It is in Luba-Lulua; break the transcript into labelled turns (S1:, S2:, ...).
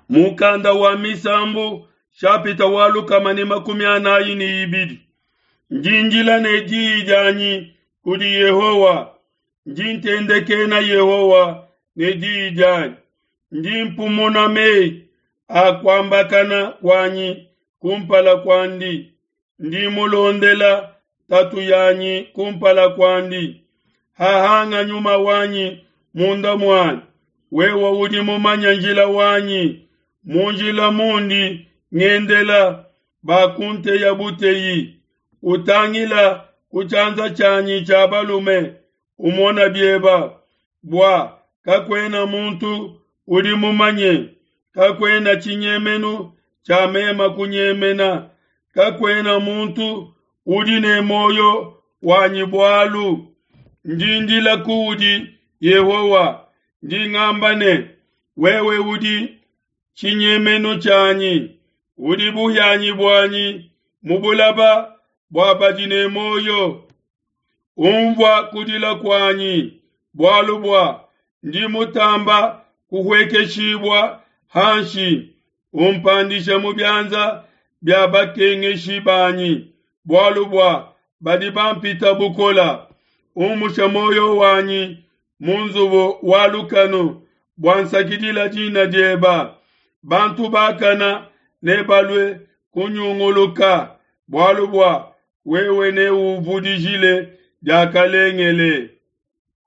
S1: Mukanda wa Misambu shapita wa 142. Ndi ndila ne diyi dianyi kudi Yehowa, ndi ntendekena Yehowa ne diyi dianyi. Ndi mpumuna meyi a kuambakana kuanyi kumpala kuandi, ndi mulondela tatu yanyi kumpala kuandi. Hahanga nyuma wanyi munda muanyi, wewe udi mumanye njila wanyi. Mu njila mundi ngendela bakunteya buteyi. Utangila ku tshianza tshianyi tshia balume, umona bieba, bua kakuena muntu udi mumanye, kakuena tshinyemenu tshia mema kunyemena, kakuena muntu udi ne muoyo wanyi bualu. Ndi ndila kuudi Yehowa, ndi ngamba ne, wewe udi tshinyemenu tshianyi, udi buhianyi buanyi mu bulaba bua badi ne muoyo. Umvua kudila kuanyi, bualu bua ndi mutamba kuhuekeshibua hanshi. Umpandishe mu bianza bia bakengeshi banyi, bualu bua badi bampita bukola. Umushe muoyo wanyi mu nzubu wa lukanu, bua nsakidila dina dieba. Bantu bakana nebalue kunyunguluka, bualu bua wewe neuvudijile diakalengele.